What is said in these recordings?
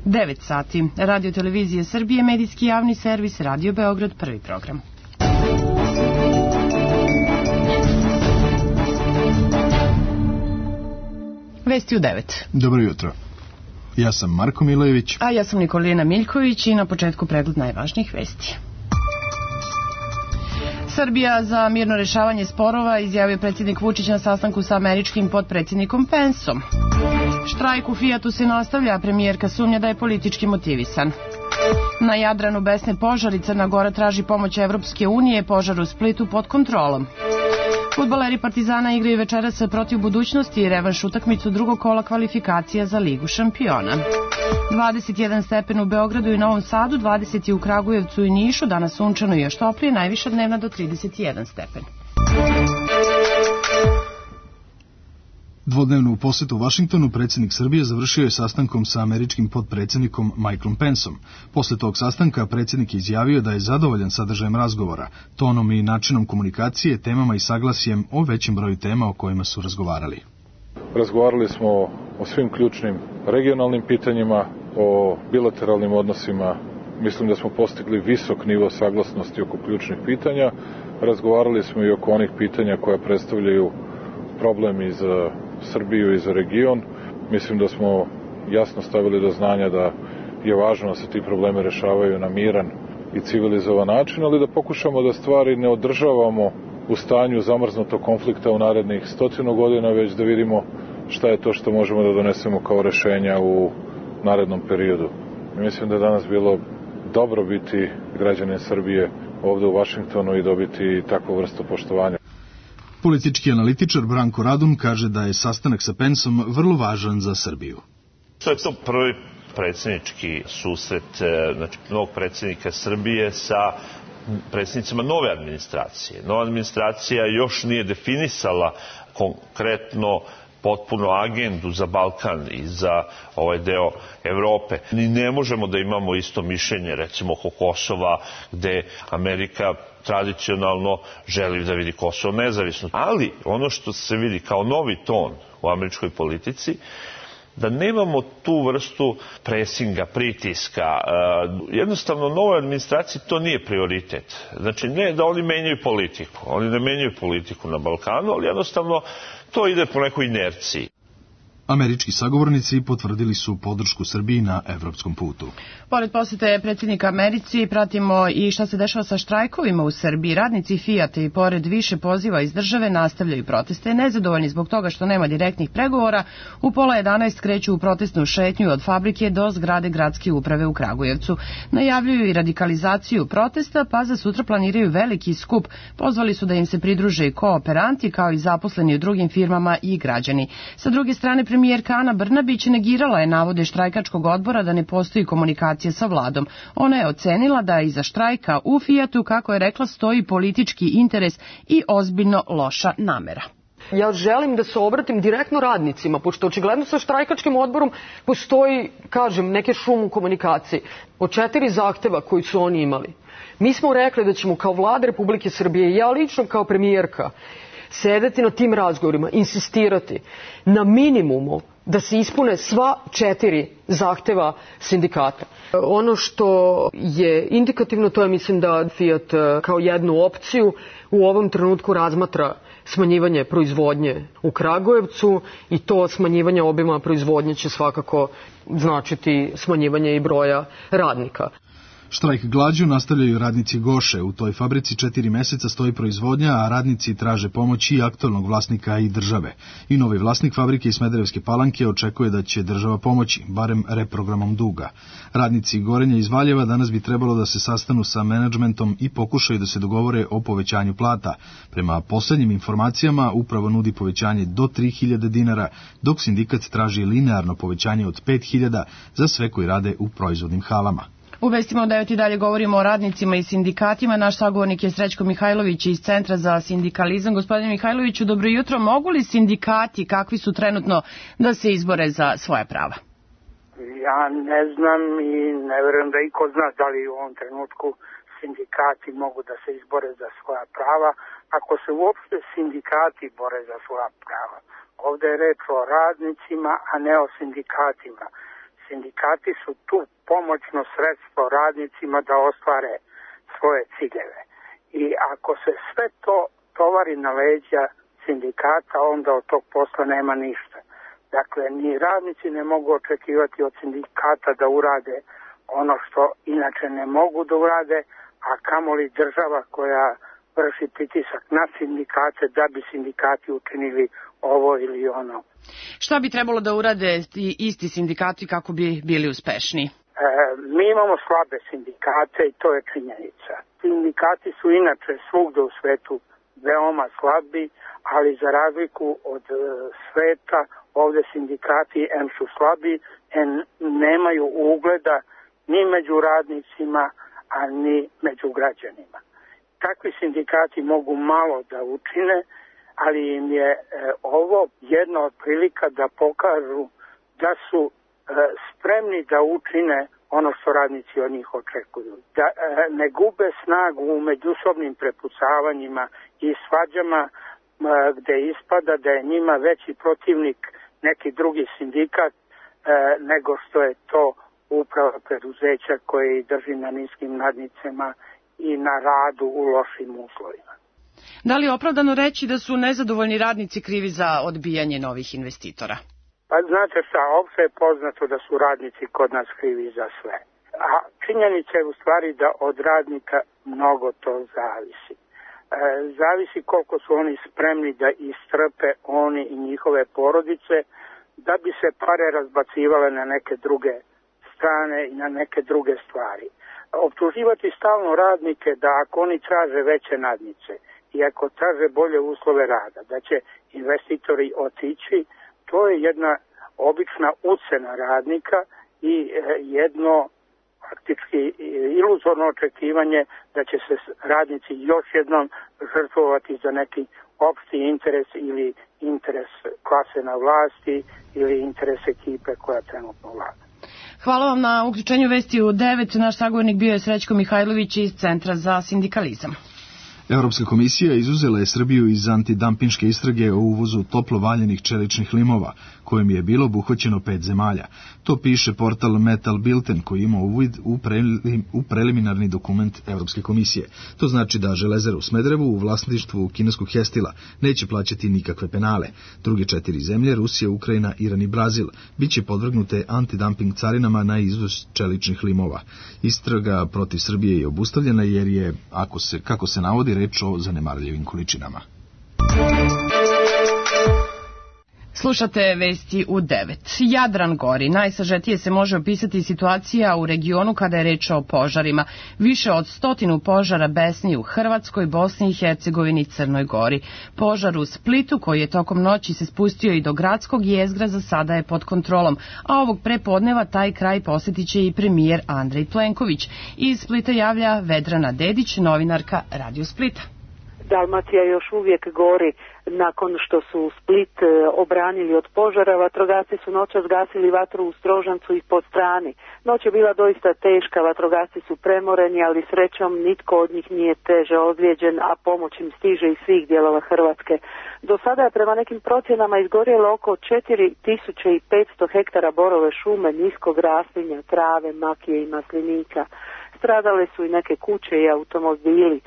9 sati. Radio Televizije Srbije, medijski javni servis, Radio Beograd, prvi program. Vesti u 9. Dobro jutro. Ja sam Marko Milojević. A ja sam Nikolina Miljković i na početku pregled najvažnijih vesti. Srbija za mirno rešavanje sporova, izjavio predsjednik Vučić na sastanku sa američkim potpredsjednikom Pensom. Štrajk u Fijatu se nastavlja, premijerka sumnja da je politički motivisan. Na Jadranu besne požari, Crna Gora traži pomoć Evropske unije, požar u Splitu pod kontrolom. Fudbaleri Partizana igraju večeras protiv Budućnosti i revanš utakmicu drugog kola kvalifikacija za Ligu šampiona. 21 stepen u Beogradu i Novom Sadu, 20 u Kragujevcu i Nišu, danas sunčano i još toplije, najviša dnevna do 31 stepen. Dvodnevnu posetu u Vašingtonu predsjednik Srbije završio je sastankom sa američkim potpredsjednikom Michaelom Pensom. Posle tog sastanka predsjednik je izjavio da je zadovoljan sadržajem razgovora, tonom i načinom komunikacije, temama i saglasjem o većem broju tema o kojima su razgovarali. Razgovarali smo o svim ključnim regionalnim pitanjima, o bilateralnim odnosima. Mislim da smo postigli visok nivo saglasnosti oko ključnih pitanja. Razgovarali smo i oko onih pitanja koja predstavljaju problem i za Srbiju i za region. Mislim da smo jasno stavili do znanja da je važno da se ti problemi rešavaju na miran i civilizovan način, ali da pokušamo da stvari ne održavamo u stanju zamrznutog konflikta u narednih 100 godina, već da vidimo šta je to što možemo da donesemo kao rešenja u narednom periodu. Mislim da je danas bilo dobro biti građanin Srbije ovde u Vašingtonu i dobiti takvu vrstu poštovanja. Politički analitičar Branko Radun kaže da je sastanak sa Pensom vrlo važan za Srbiju. To je to prvi predsjednički susret novog predsjednika Srbije sa predsjednicima nove administracije. Nova administracija još nije definisala konkretno potpuno agendu za Balkan i za ovaj deo Evrope. Ni ne možemo da imamo isto mišljenje, recimo oko Kosova, gde Amerika tradicionalno želi da vidi Kosovo nezavisno. Ali ono što se vidi kao novi ton u američkoj politici, da nemamo tu vrstu presinga, pritiska. Jednostavno, novoj administraciji to nije prioritet. Znači, ne da oni menjaju politiku. Oni ne menjaju politiku na Balkanu, ali jednostavno to ide po nekoj inerciji. Američki sagovornici potvrdili su podršku Srbiji na evropskom putu. Pored posete predsjednika Americi, pratimo i šta se dešava sa štrajkovima u Srbiji. Radnici Fijata i pored više poziva iz države nastavljaju proteste. Nezadovoljni zbog toga što nema direktnih pregovora, u 10:30 kreću u protestnu šetnju od fabrike do zgrade gradske uprave u Kragujevcu. Najavljuju i radikalizaciju protesta, pa za sutra planiraju veliki skup. Pozvali su da im se pridruže i kooperanti, kao i zaposleni u drugim firmama i građani. Sa druge strane, premijerka Ana Brnabić negirala je navode štrajkačkog odbora da ne postoji komunikacija sa vladom. Ona je ocenila da iza štrajka u Fijatu, kako je rekla, stoji politički interes i ozbiljno loša namera. Ja želim da se obratim direktno radnicima, pošto očigledno sa štrajkačkim odborom postoji, kažem, neke šum u komunikaciji. Od 4 zahteva koji su oni imali, mi smo rekli da ćemo kao vlada Republike Srbije i ja lično kao premijerka sedeti na tim razgovorima, insistirati na minimumu da se ispune sva 4 zahteva sindikata. Ono što je indikativno, to je, mislim, da Fijat kao jednu opciju u ovom trenutku razmatra smanjivanje proizvodnje u Kragujevcu i to smanjivanje obima proizvodnje će svakako značiti smanjivanje i broja radnika. Štrajk glađu nastavljaju radnici Goše. U toj fabrici 4 meseca stoji proizvodnja, a radnici traže pomoć i aktualnog vlasnika i države. I novi vlasnik fabrike iz Smederevske Palanke očekuje da će država pomoći, barem reprogramom duga. Radnici Gorenja iz Valjeva danas bi trebalo da se sastanu sa menadžmentom i pokušaju da se dogovore o povećanju plata. Prema poslednjim informacijama, upravo nudi povećanje do 3.000 dinara, dok sindikat traži linearno povećanje od 5.000 za sve koji rade u proizvodnim halama. U vestima od 9 i dalje govorimo o radnicima i sindikatima. Naš sagovornik je Srećko Mihajlović iz Centra za sindikalizam. Gospodine Mihajloviću, dobro jutro. Mogu li sindikati, kakvi su trenutno, da se izbore za svoja prava? Ja ne znam i ne verujem da iko zna da li u ovom trenutku sindikati mogu da se izbore za svoja prava. Ako se uopšte sindikati bore za svoja prava. Ovde je reč o radnicima, a ne o sindikatima. Sindikati su tu pomoćno sredstvo radnicima da ostvare svoje ciljeve. I ako se sve to tovari na leđa sindikata, onda od tog posla nema ništa. Dakle, ni radnici ne mogu očekivati od sindikata da urade ono što inače ne mogu da urade, a kamoli država koja vrši pritisak na sindikate da bi sindikati učinili ovo ili ono. Šta bi trebalo da urade ti isti sindikati kako bi bili uspešniji? Mi imamo slabe sindikate i to je činjenica. Sindikati su inače svugde u svetu veoma slabi, ali za razliku od sveta ovde sindikati em su slabi, em nemaju ugleda ni među radnicima, a ni među građanima. Takvi sindikati mogu malo da učine, ali im je ovo jedna od prilika da pokažu da su spremni da učine ono što radnici od njih očekuju. Da ne gube snagu u međusobnim prepucavanjima i svađama gde ispada da je njima veći protivnik neki drugi sindikat nego što je to uprava preduzeća koje drži na niskim nadnicama i na radu u lošim uslovima. Da li je opravdano reći da su nezadovoljni radnici krivi za odbijanje novih investitora? Pa znate šta, opšte je poznato da su radnici kod nas krivi za sve. A činjenica je u stvari da od radnika mnogo to zavisi. Zavisi koliko su oni spremni da istrpe oni i njihove porodice, da bi se pare razbacivale na neke druge strane i na neke druge stvari. Optuživati stalno radnike da ako oni traže veće nadnice i ako traže bolje uslove rada, da će investitori otići, to je jedna obična ucena radnika i jedno faktički iluzorno očekivanje da će se radnici još jednom žrtvovati za neki opšti interes ili interes klase na vlasti ili interes ekipe koja trenutno vlada. Hvala vam na uključenju vesti u 9. Naš sagovornik bio je Srećko Mihajlović iz Centra za sindikalizam. Europska komisija izuzela je Srbiju iz antidampinške istrage o uvozu toplo valjenih čeličnih limova, kojim je bilo obuhvaćeno 5 zemalja. To piše portal Metal Bilten, koji ima uvid u preliminarni dokument Europske komisije. To znači da Železara u Smederevu u vlasništvu kineskog Hestila neće plaćati nikakve penale. Druge 4 zemlje, Rusija, Ukrajina, Iran i Brazil, biće podvrgnute antidumping carinama na izvoz čeličnih limova. Istraga protiv Srbije je obustavljena jer je, kako se navodi, reč o zanemarljivim količinama. Slušate vesti u 9. Jadran gori. Najsažetije se može opisati situacija u regionu kada je reč o požarima. Više od 100 požara besni u Hrvatskoj, Bosni i Hercegovini i Crnoj Gori. Požar u Splitu, koji je tokom noći se spustio i do gradskog jezgra, za sada je pod kontrolom, a ovog prepodneva taj kraj posjetit će i premijer Andrej Plenković. Iz Splita javlja Vedrana Dedić, novinarka Radio Splita. Dalmacija još uvijek gori. Nakon što su Split obranili od požara, vatrogasci su noćas gasili vatru u Strožancu i Podstrani. Noć je bila doista teška, vatrogasci su premoreni, ali srećom nitko od njih nije teže ozlijeđen, a pomoć im stiže iz svih dijelova Hrvatske. Do sada je prema nekim procjenama izgorjelo oko 4500 hektara borove šume, niskog raslinja, trave, makije i maslinika. Stradale su i neke kuće i automobili.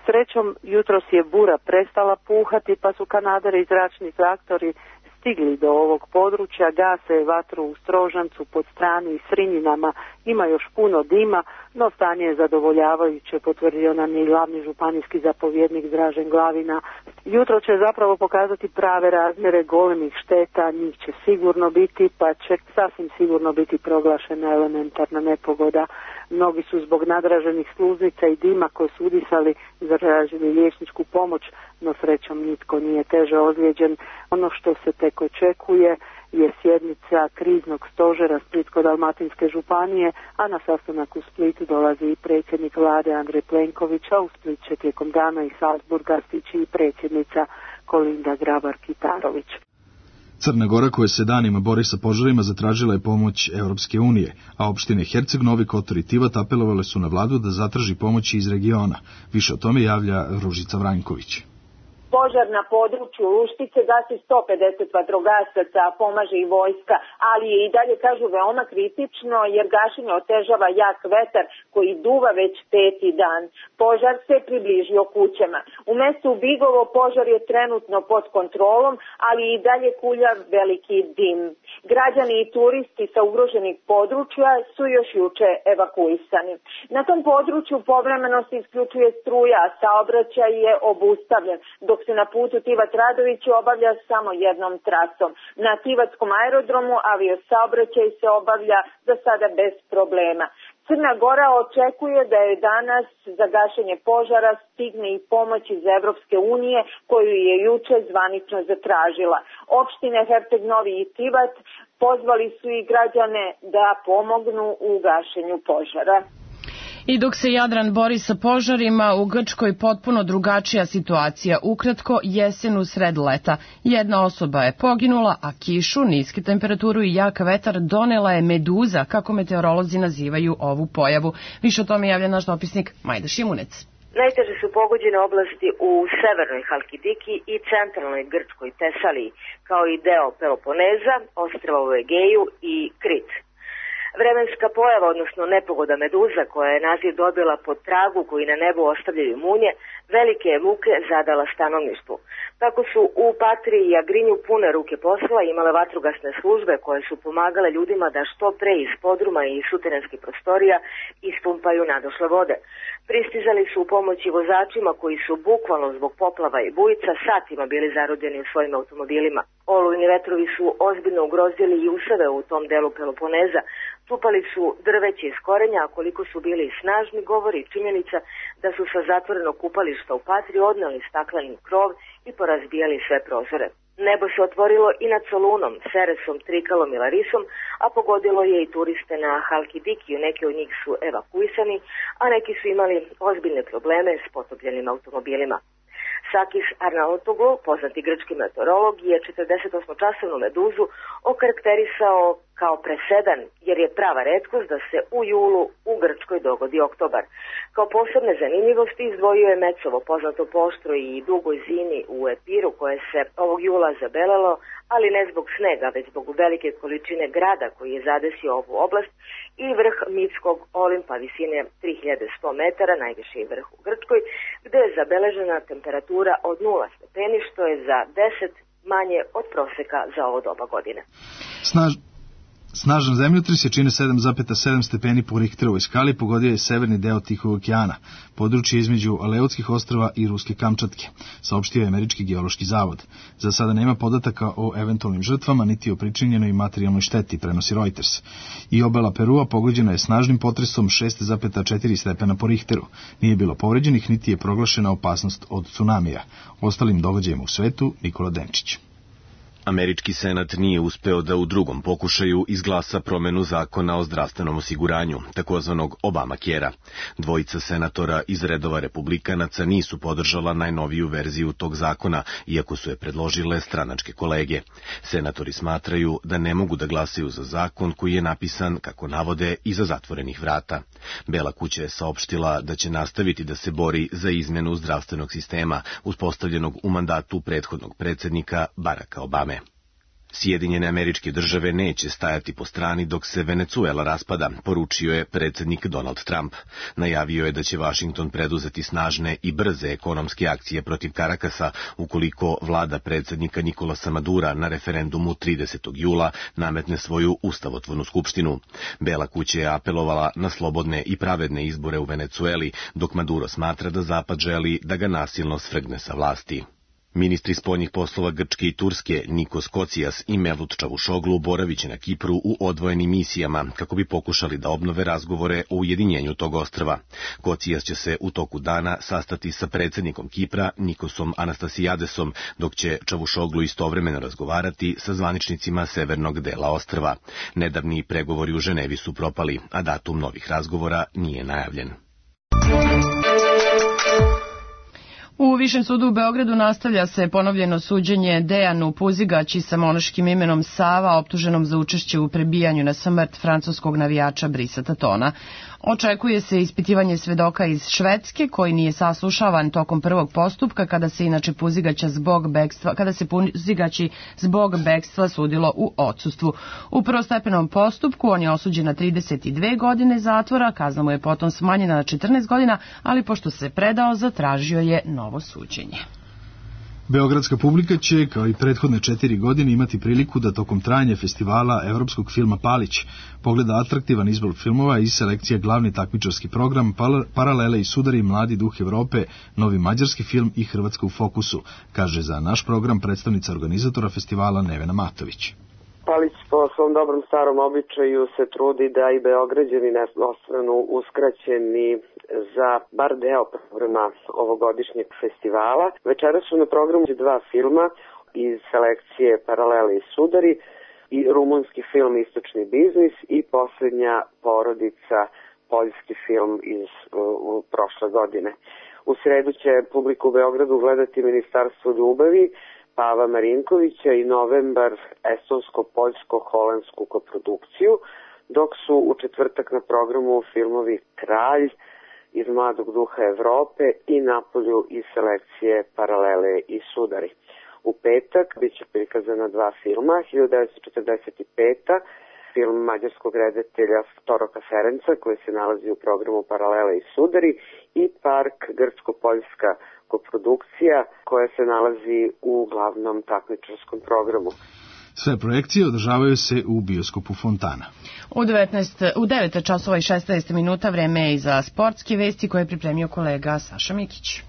Srećom, jutros je bura prestala puhati, pa su kanaderi i zračni traktori stigli do ovog područja, gase vatru u Strožancu, Podstrani i Srinjinama. Ima još puno dima, no stanje je zadovoljavajuće, potvrdio nam je glavni županijski zapovjednik Dražen Glavina. Jutro će zapravo pokazati prave razmjere golemih šteta, njih će sigurno biti, pa će sasvim sigurno biti proglašena elementarna nepogoda. Mnogi su zbog nadraženih sluznica i dima koje su udisali zatražili liječničku pomoć, no srećom nitko nije teže ozlijeđen. Ono što se tek očekuje je sjednica kriznog stožera Splitsko-dalmatinske županije, a na sastanak u Splitu dolazi i predsjednik vlade Andrej Plenković, a u Split će tijekom dana iz Salzburga stići i predsjednica Kolinda Grabar-Kitarović. Crna Gora, koja se danima bori sa požarima, zatražila je pomoć Europske unije, a opštine Herceg, Novi Kotor i Tivat apelovale su na vladu da zatraži pomoći iz regiona. Više o tome javlja Ružica Vranjković. Požar na području Luštice gasi 150 vatrogasaca, a pomaže i vojska, ali je i dalje, kažu, veoma kritično jer gašenje otežava jak vetar koji duva već 5. dan. Požar se približio kućama. U mestu Bigovo požar je trenutno pod kontrolom, ali i dalje kulja veliki dim. Građani i turisti sa ugroženih područja su još juče evakuisani. Na tom području povremeno se isključuje struja, a saobraćaj je obustavljen, dok se na putu Tivat Radović obavlja samo jednom trasom. Na Tivatskom aerodromu aviosaobraćaj se obavlja za sada bez problema. Crna Gora očekuje da je danas za gašenje požara stigne i pomoć iz Evropske unije koju je juče zvanično zatražila. Opštine Herceg Novi i Tivat pozvali su i građane da pomognu u gašenju požara. I dok se Jadran bori sa požarima, u Grčkoj potpuno drugačija situacija. Ukratko, jesen u sred leta. Jedna osoba je poginula, a kišu, niske temperaturu i jak vetar donela je meduza, kako meteorolozi nazivaju ovu pojavu. Više o tome javlja naš dopisnik Majda Šimunec. Najteže su pogođene oblasti u severnoj Halkidiki i centralnoj Grčkoj Tesaliji, kao i deo Peloponeza, ostrva u Egeju i Krit. Vremenska pojava, odnosno nepogoda meduza, koja je naziv dobila po tragu koji na nebu ostavljaju munje, velike je muke zadala stanovništvu. Tako su u Patriji i Agrinju pune ruke posla imale vatrogasne službe koje su pomagale ljudima da što pre iz podruma i suterenskih prostorija ispumpaju nadošle vode. Pristizali su u pomoć i vozačima koji su bukvalno zbog poplava i bujica satima bili zarobljeni u svojim automobilima. Olujni vetrovi su ozbiljno ugrozili i useve u tom delu Peloponeza. Tupali su drveće iz korenja, a koliko su bili snažni govori činjenica da su sa zatvorenog kupališta u Patri odneli stakleni krov i porazbijali sve prozore. Nebo se otvorilo i nad Solunom, Seresom, Trikalom i Larisom, a pogodilo je i turiste na Halkidikiju. Neki od njih su evakuisani, a neki su imali ozbiljne probleme s potopljenim automobilima. Sakis Arnautoglu, poznati grčki meteorolog, je 48-časovnu meduzu okarakterisao kao presedan, jer je prava retkost da se u julu u Grčkoj dogodi oktobar. Kao posebne zanimljivosti izdvojio je Mecovo, poznato po oštroj i dugoj zimi u Epiru, koje se ovog jula zabelelo, ali ne zbog snega, već zbog velike količine grada koji je zadesio ovu oblast, i vrh mitskog Olimpa visine 3100 metara, najviši vrh u Grčkoj, gde je zabeležena temperatura od 0 stepeni, što je za 10 manje od proseka za ovo doba godine. Snažan zemljotres je čine 7,7 stepeni po Richterovoj skali, pogodio je severni deo Tihog okeana, područje između Aleutskih ostrva i Ruske Kamčatke, saopštio je Američki geološki zavod. Za sada nema podataka o eventualnim žrtvama, niti o pričinjenoj materijalnoj šteti, prenosi Reuters. I obala Perua pogođena je snažnim potresom 6,4 stepena po Richteru. Nije bilo povređenih, niti je proglašena opasnost od tsunamija. Ostalim događajima u svetu, Nikola Denčić. Američki senat nije uspeo da u drugom pokušaju izglasa promenu zakona o zdravstvenom osiguranju, takozvanog Obamacare-a. Dvojica senatora iz redova republikanaca nisu podržala najnoviju verziju tog zakona, iako su je predložile stranačke kolege. Senatori smatraju da ne mogu da glasaju za zakon koji je napisan, kako navode, iza zatvorenih vrata. Bela kuća je saopštila da će nastaviti da se bori za izmenu zdravstvenog sistema, uspostavljenog u mandatu prethodnog predsjednika Baracka Obame. Sjedinjene Američke Države neće stajati po strani dok se Venecuela raspada, poručio je predsjednik Donald Trump. Najavio je da će Washington preduzeti snažne i brze ekonomske akcije protiv Karakasa ukoliko vlada predsjednika Nikolasa Madura na referendumu 30. jula nametne svoju ustavotvornu skupštinu. Bela kuća je apelovala na slobodne i pravedne izbore u Venecueli, dok Maduro smatra da Zapad želi da ga nasilno svrgne sa vlasti. Ministri spoljnih poslova Grčke i Turske Nikos Kocijas i Mevlut Čavušoglu boraviće na Kipru u odvojenim misijama kako bi pokušali da obnove razgovore o ujedinjenju tog ostrva. Kocijas će se u toku dana sastati sa predsjednikom Kipra Nikosom Anastasijadesom, dok će Čavušoglu istovremeno razgovarati sa zvaničnicima severnog dela ostrva. Nedavni pregovori u Ženevi su propali, a datum novih razgovora nije najavljen. U U Višem sudu u Beogradu nastavlja se ponovljeno suđenje Dejanu Puzigaći sa monaškim imenom Sava, optuženom za učešće u prebijanju na smrt francuskog navijača Brisa Tatona. Očekuje se ispitivanje svedoka iz Švedske, koji nije saslušavan tokom prvog postupka, kada se Puzigaći zbog bekstva sudilo u odsustvu. U prvostepenom postupku on je osuđen na 32 godine zatvora, kazna mu je potom smanjena na 14 godina, ali pošto se predao, zatražio je novo suđenje. Beogradska publika će, kao i prethodne 4 godine, imati priliku da tokom trajanja festivala evropskog filma Palić pogleda atraktivan izbor filmova i selekcija glavni takmičarski program, Paralele i sudari, Mladi duh Evrope, novi mađarski film i Hrvatska u fokusu, kaže za naš program predstavnica organizatora festivala Nevena Matović. Palić po svom dobrom starom običaju se trudi da i Beograđani ne ostanu uskraćeni za bar deo programa ovogodišnjeg festivala. Večera su na programu 2 filma iz selekcije Paralele i sudari i rumunski film Istočni biznis i Posljednja porodica, poljski film iz prošle godine. U sredu će publiku u Beogradu gledati Ministarstvo ljubavi Pava Marinkovića i Novembar estonsko-poljsko-holandsku koprodukciju, dok su u četvrtak na programu filmovi Kralj iz Mladog duha Evrope i Napolju iz selekcije Paralele i sudari. U petak biće prikazana 2 filma, 1945. film mađarskog redatelja Toroka Ferenca koji se nalazi u programu Paralele i sudari i Park grčko-poljska koprodukcija koja se nalazi u glavnom takmičarskom programu. Sve projekcije održavaju se u bioskopu Fontana. U 9 časova i 16 minuta vreme je i za sportske vesti koje je pripremio kolega Saša Mikić.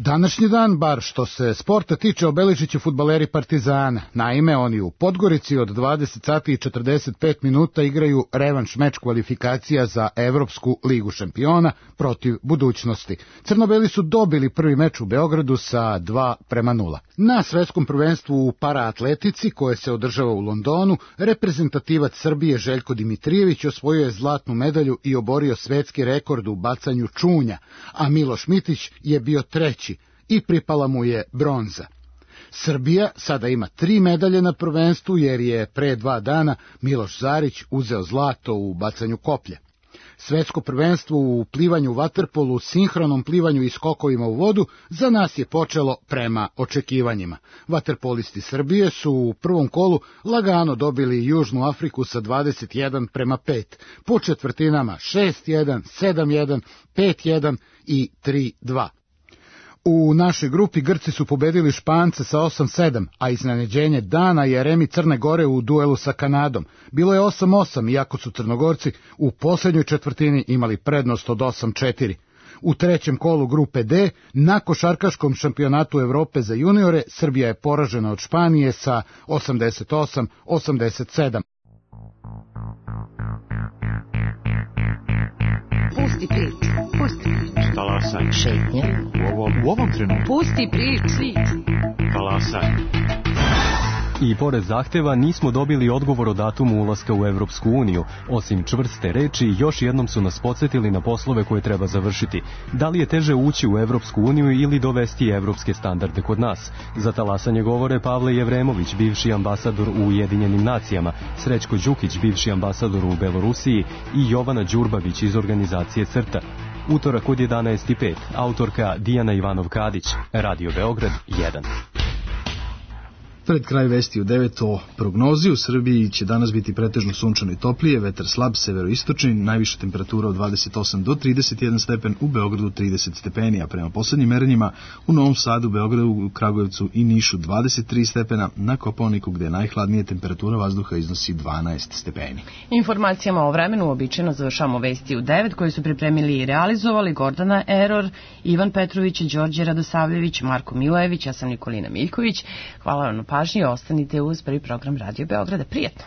Današnji dan, bar što se sporta tiče, obeležit će fudbaleri Partizana. Naime, oni u Podgorici od 20 sati i 45 minuta igraju revanš meč kvalifikacija za Evropsku ligu šampiona protiv Budućnosti. Crnobeli su dobili prvi meč u Beogradu sa 2:0. Na svetskom prvenstvu u paraatletici, koje se održava u Londonu, reprezentativac Srbije Željko Dimitrijević osvojio je zlatnu medalju i oborio svetski rekord u bacanju čunja, a Miloš Mitić je bio treći i pripala mu je bronza. Srbija sada ima 3 medalje na prvenstvu jer je pre 2 dana Miloš Zarić uzeo zlato u bacanju koplja. Svetsko prvenstvo u plivanju vaterpolu, sinhronom plivanju i skokovima u vodu za nas je počelo prema očekivanjima. Vaterpolisti Srbije su u prvom kolu lagano dobili Južnu Afriku sa 21:5, po četvrtinama 6:1, 7:1, 5:1 i 3:2. U našoj grupi Grci su pobedili Špance sa 8:7, a iznenađenje dana je remi Crne Gore u duelu sa Kanadom. Bilo je 8:8, iako su Crnogorci u posljednjoj četvrtini imali prednost od 8:4. U trećem kolu grupe D, na košarkaškom šampionatu Evrope za juniore, Srbija je poražena od Španije sa 88-87. Pusti priču, pusti priču. Talasaj. Šetnje. U ovom trenutku. Pusti priču. Talasaj. I pored zahteva nismo dobili odgovor o datumu ulaska u Evropsku uniju. Osim čvrste reči, još jednom su nas podsjetili na poslove koje treba završiti. Da li je teže ući u Evropsku uniju ili dovesti evropske standarde kod nas? Za talasanje govore Pavle Jevremović, bivši ambasador u Ujedinjenim nacijama, Srećko Đukić, bivši ambasador u Belorusiji i Jovana Đurbavić iz organizacije CRTA. Utorak od 11:05, autorka Dijana Ivanov-Kadić, Radio Beograd 1. Pred kraj vesti u 9 o prognozi. U Srbiji će danas biti pretežno sunčano i toplije, vetar slab severoistočni, najviša temperatura od 28 do 31 stepen, u Beogradu 30 stepeni, a prema poslednjim merenjima u Novom Sadu, Beogradu, Kragujevcu i Nišu 23 stepena, na Kopaoniku gde je najhladnije temperatura vazduha iznosi 12 stepeni. Informacijama o vremenu uobičajeno završamo vesti u 9 koje su pripremili i realizovali Gordana Eror, Ivan Petrović, Đorđe Radosavljević, Marko Milojević, ja sam Nikolina Miljković. Hvala vam na pažnji, ostanite uz prvi program Radio Beograda. Prijetno!